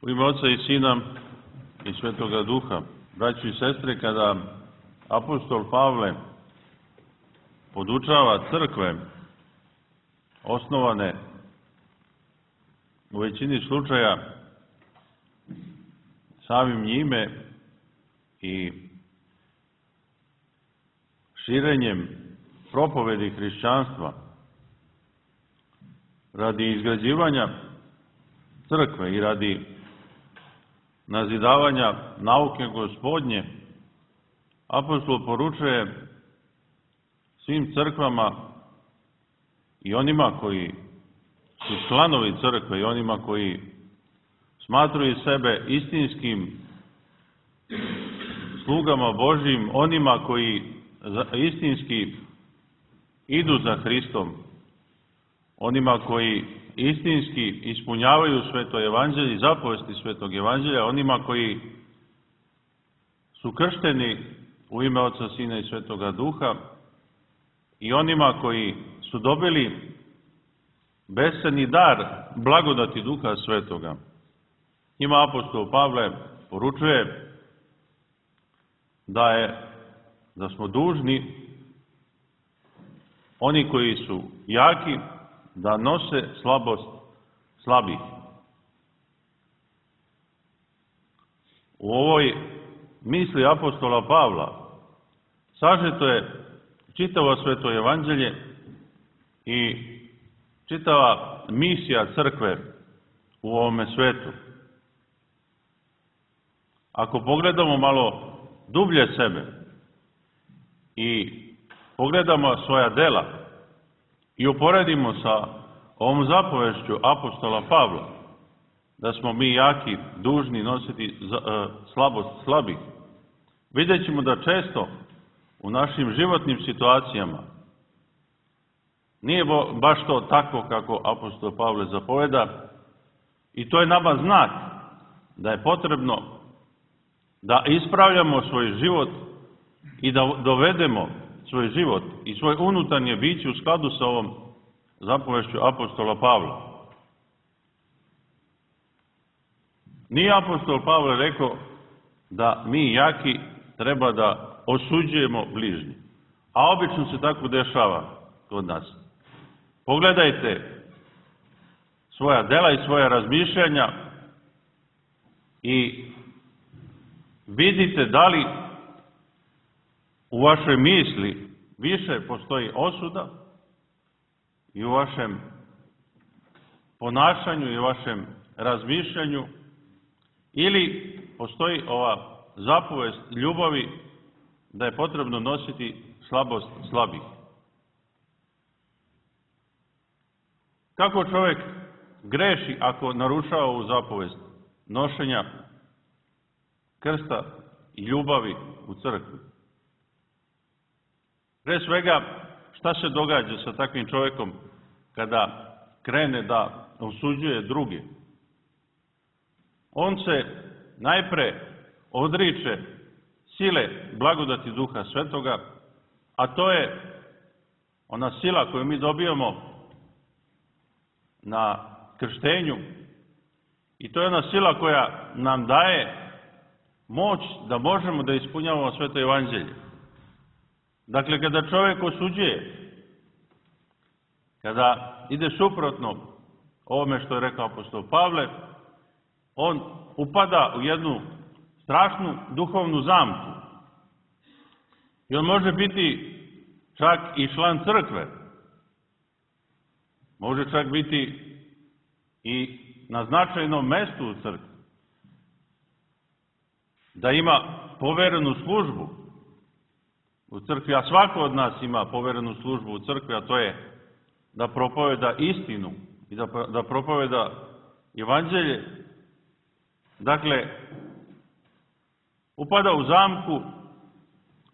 U ime Oca i Sina i Svetoga Duha, braćo i sestre, kada apostol Pavle podučava crkve osnovane u većini slučaja samim njime i širenjem propovedi hrišćanstva radi izgrađivanja crkve i radi nazidavanja nauke Gospodnje, apostol poručuje svim crkvama i onima koji su članovi crkve i onima koji smatraju sebe istinskim slugama Božjim, onima koji istinski idu za Hristom, onima koji istinski ispunjavaju sveto evanđelje i zapovesti svetog evanđelja, onima koji su kršteni u ime Oca, Sina i Svetoga Duha i onima koji su dobili besceni dar blagodati Duha Svetoga. Njima apostol Pavle poručuje da smo dužni, oni koji su jaki, da nose slabost slabih. U ovoj misli apostola Pavla sažeto je čitavo sveto evanđelje i čitava misija crkve u ovome svetu. Ako pogledamo malo dublje sebe i pogledamo svoja dela i uporedimo sa ovom zapovešću apostola Pavla, da smo mi jaki, dužni nositi slabost slabih, vidjet ćemo da često u našim životnim situacijama nije baš to tako kako apostol Pavle zapoveda, i to je nama znak da je potrebno da ispravljamo svoj život i da dovedemo svoj život i svoje unutarnje biće u skladu sa ovom zapovešću apostola Pavla. Nije apostol Pavle rekao da mi jaki treba da osuđujemo bližnje, a obično se tako dešava kod nas. Pogledajte svoja dela i svoja razmišljanja i vidite da li u vašoj misli više postoji osuda i u vašem ponašanju i u vašem razmišljanju, ili postoji ova zapovest ljubavi da je potrebno nositi slabost slabih. Kako čovjek greši ako narušava ovu zapovest nošenja krsta i ljubavi u crkvi? Pre svega, šta se događa sa takvim čovjekom kada krene da osuđuje druge? On se najpre odriče sile blagodati Duha Svetoga, a to je ona sila koju mi dobijamo na krštenju, i to je ona sila koja nam daje moć da možemo da ispunjavamo sveto evanđelje. Dakle, kada čovjek osuđuje, kada ide suprotno ovome što je rekao apostol Pavle, on upada u jednu strašnu duhovnu zamku. I on može biti čak i član crkve. Može čak biti i na značajnom mestu u crkvi. Da ima poverenu službu u crkvi, a svako od nas ima poverenu službu u crkvi, a to je da propoveda istinu i da propoveda evanđelje. Dakle, upada u zamku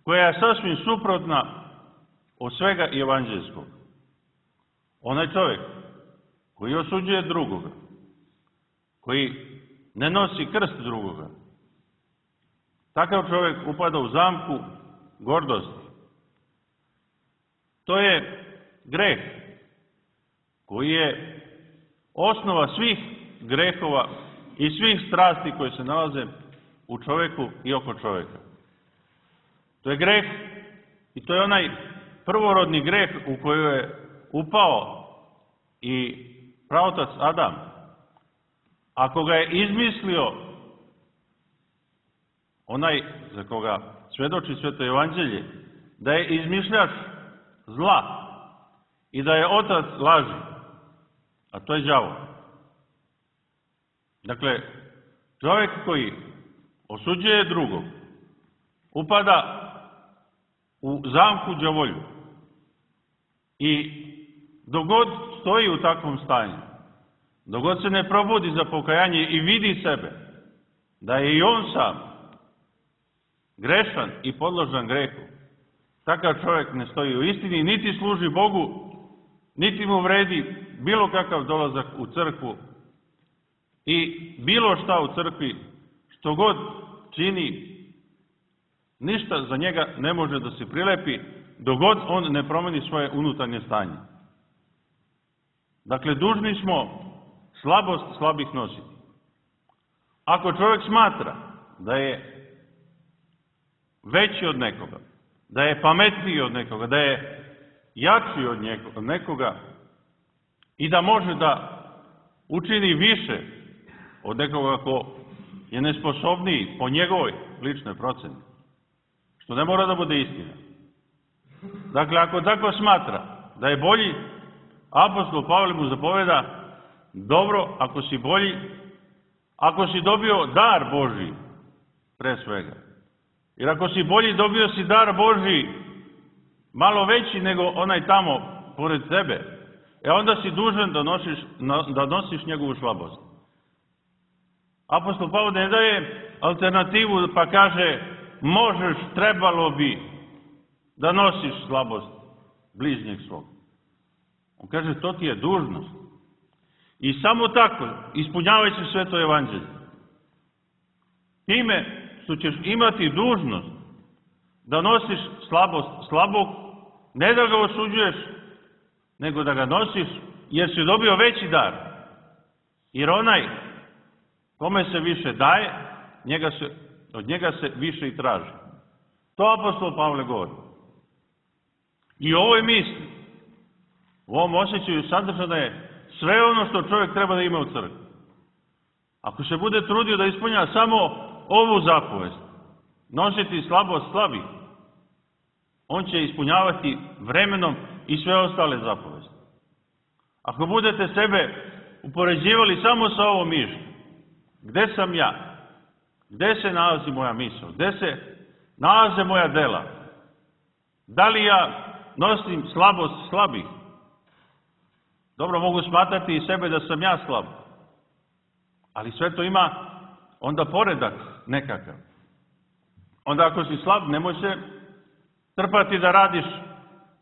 koja je sasvim suprotna od svega evanđeljskog. Onaj čovjek koji osuđuje drugoga, koji ne nosi krst drugoga, takav čovjek upada u zamku gordosti. To je greh koji je osnova svih grehova i svih strasti koje se nalaze u čovjeku i oko čovjeka. To je greh i to je onaj prvorodni greh u koji je upao i praotac Adam. Ako ga je izmislio onaj za koga svjedoči Sveto Evanđelje, da je izmišljač zla i da je otac laži, a to je đavo. Dakle, čovjek koji osuđuje drugog, upada u zamku đavolju i dok god stoji u takvom stanju, dok god se ne probudi za pokajanje i vidi sebe, da je i on sam grešan i podložan grehu, takav čovjek ne stoji u istini, niti služi Bogu, niti mu vredi bilo kakav dolazak u crkvu i bilo šta u crkvi, što god čini, ništa za njega ne može da se prilepi dok god on ne promeni svoje unutarnje stanje. Dakle, dužni smo slabost slabih nositi. Ako čovjek smatra da je veći od nekoga, da je pametniji od nekoga, da je jači od nekoga i da može da učini više od nekoga ko je nesposobniji po njegovoj ličnoj proceni, što ne mora da bude istina. Dakle, ako tako smatra da je bolji, apostol Pavle mu zapoveda: dobro, ako si bolji, ako si dobio dar Božji, pre svega. Jer ako si bolji, dobio si dar Božji malo veći nego onaj tamo pored tebe, onda si dužan da nosiš njegovu slabost. Apostol Pavle ne daje alternativu pa kaže: možeš, trebalo bi da nosiš slabost bližnjeg svog. On kaže: to ti je dužnost. I samo tako ispunjavajući Sveto Evanđelje, time što ćeš imati dužnost da nosiš slabost slabog, ne da ga osuđuješ, nego da ga nosiš, jer si dobio veći dar. Jer onaj kome se više daje, od njega se više i traži. To apostol Pavle govori. I u ovoj misli, u ovom osjećaju sadržano je sve ono što čovjek treba da ima u crkvi. Ako se bude trudio da ispunja samo ovu zapovest, nositi slabost slabih, on će ispunjavati vremenom i sve ostale zapovesti. Ako budete sebe upoređivali samo sa ovom mišlju, gde sam ja? Gde se nalazi moja misao? Gde se nalaze moja dela? Da li ja nosim slabost slabih? Dobro, mogu smatrati i sebe da sam ja slab. Ali sve to ima onda poredak nekakav. Onda ako si slab, nemoj se trpati da radiš,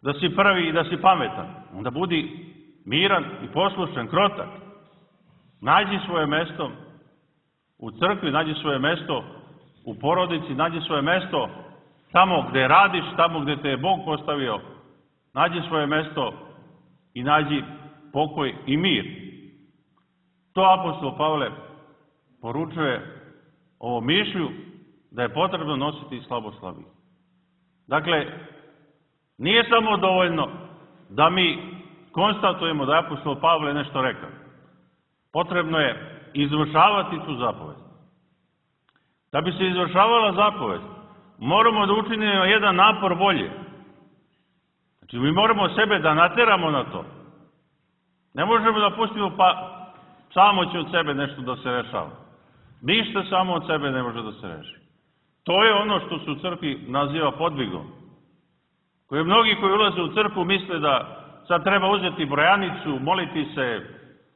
da si prvi i da si pametan. Onda budi miran i poslušan, krotak. Nađi svoje mesto u crkvi, nađi svoje mesto u porodici, nađi svoje mesto tamo gde radiš, tamo gde te je Bog postavio. Nađi svoje mesto i nađi pokoj i mir. To apostol Pavle poručuje ovo mišlju, da je potrebno nositi slabost slabih. Dakle, nije samo dovoljno da mi konstatujemo da je apostol Pavle nešto rekao. Potrebno je izvršavati tu zapovest. Da bi se izvršavala zapovest, moramo da učinimo jedan napor volje. Znači, mi moramo sebe da nateramo na to. Ne možemo da pustimo pa samo će od sebe nešto da se rešava. Ništa samo od sebe ne može da se reši. To je ono što se u crkvi naziva podvigom. Koje mnogi koji ulaze u crkvu misle da sad treba uzeti brojanicu, moliti se,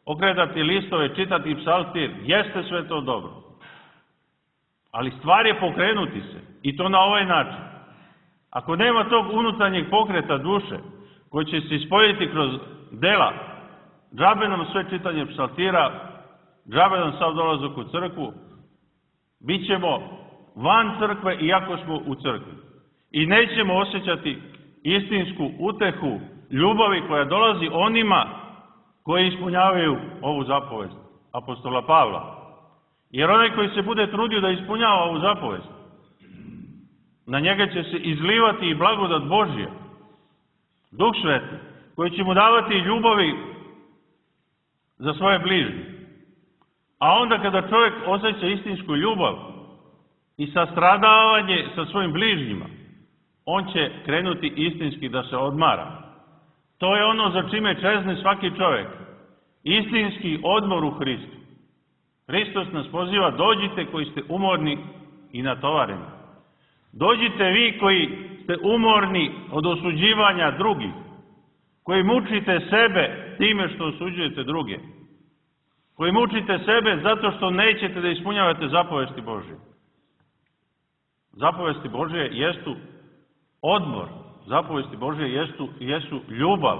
okretati listove, čitati psaltir. Jeste sve to dobro. Ali stvar je pokrenuti se. I to na ovaj način. Ako nema tog unutarnjeg pokreta duše, koji će se ispoljiti kroz dela, džabe nam sve čitanje psaltira, džabe nam sav dolazak u crkvu, bit ćemo van crkve iako smo u crkvi. I nećemo osjećati istinsku utehu ljubavi koja dolazi onima koji ispunjavaju ovu zapovest apostola Pavla. Jer onaj koji se bude trudio da ispunjava ovu zapovest, na njega će se izlivati i blagodat Božja, Duh Sveti, koji će mu davati ljubavi za svoje bližnje. A onda kada čovjek osjeća istinsku ljubav i sastradavanje sa svojim bližnjima, on će krenuti istinski da se odmara. To je ono za čime čezne svaki čovjek. Istinski odmor u Hristu. Hristos nas poziva, dođite koji ste umorni i natovareni. Dođite vi koji ste umorni od osuđivanja drugih, koji mučite sebe time što osuđujete druge, koji mučite sebe zato što nećete da ispunjavate zapovesti Božje. Zapovesti Božje jesu odmor, zapovesti Božje jesu ljubav.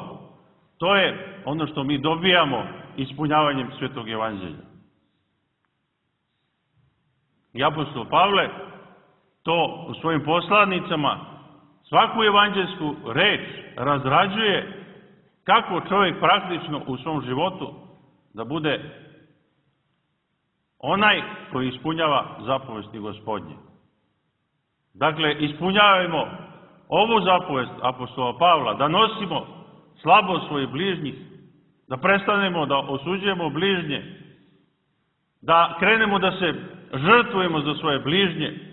To je ono što mi dobijamo ispunjavanjem Svetog Evanđelja. I apostol Pavle to u svojim poslanicama, svaku evanđelsku reč razrađuje kako čovjek praktično u svom životu da bude onaj koji ispunjava zapovesti Gospodnje. Dakle, ispunjavajmo ovu zapovest apostola Pavla, da nosimo slabost svojih bližnjih, da prestanemo da osuđujemo bližnje, da krenemo da se žrtvujemo za svoje bližnje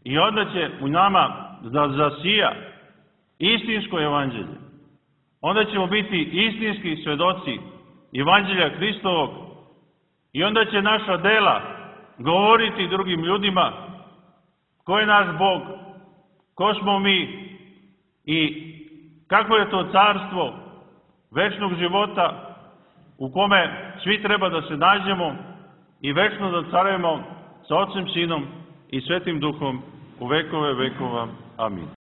i onda će u nama da zasija istinsko evanđelje. Onda ćemo biti istinski svedoci evanđelja Hristovog i onda će naša dela govoriti drugim ljudima ko je naš Bog, ko smo mi i kako je to carstvo večnog života u kome svi treba da se nađemo i večno da carujemo sa Otcem, Sinom i Svetim Duhom u vekove vekova. Amin.